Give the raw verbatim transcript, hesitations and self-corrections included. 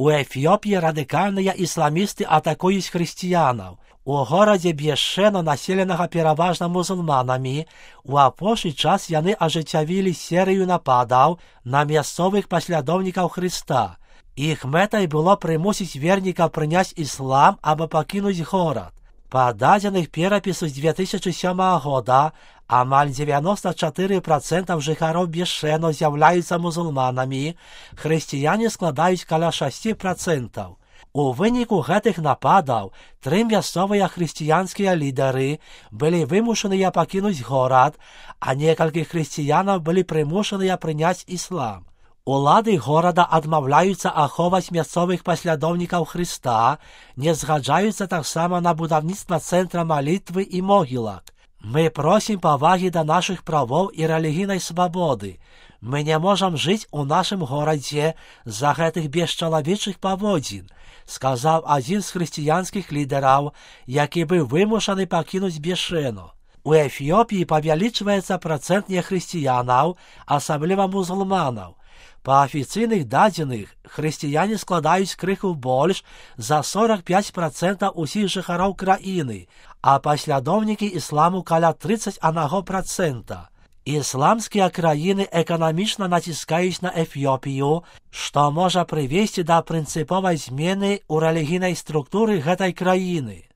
У Эфіопіі радыкальныя ісламісты атакуюць хрысціянаў. У горадзе Бешено, населенага пераважна мусульманамі, у апошні час яны ажыццявілі серыю нападаў на мясцовых паслядоўнікаў Хрыста. Іх мэтай было прымусіць вернікаў прыняць іслам або пакінуць горад. Па дадзеных перапісу з две тысячы сёмага года амаль дзевяноста чатыры працэнты жыхароў Бешено з'яўляюцца мусульманамі, хрысціяне складаюць каля шэсць працэнтаў. У выніку гэтых нападаў тры мясцовыя хрысціянскія лідары былі вымушаныя пакінуць горад, а некалькі хрысціянаў былі прымушаныя прыняць іслам. Улады горада адмаўляюцца ахоўваць мясцовых паслядоўнікаў Хрыста, не згаджаюцца таксама на будаўніцтва цэнтра малітвы і могілак. Мы просім павагі да нашых правоў і рэлігійнай свабоды. Мы не можам жыць у нашым горадзе з-за гэтых бесчалавечых паводзін, сказаў адзін з хрысціянскіх лідараў, які быў вымушаны пакінуць Бешено. У Эфіопіі павялічваецца працэнт нехрысціянаў, асабліва мусульманаў. Па афіцыйных дадзеных, хрысціяне складаюць крыху больш за сорок пяць працэнтаў усіх жыхароў краіны, а паслядоўнікі ісламу каля трыццаць адзін працэнт. Ісламскія краіны эканамічна націскаюць на Эфіопію, што можа прывесці да прынцыповай змены ў рэлігійнай структуры гэтай краіны.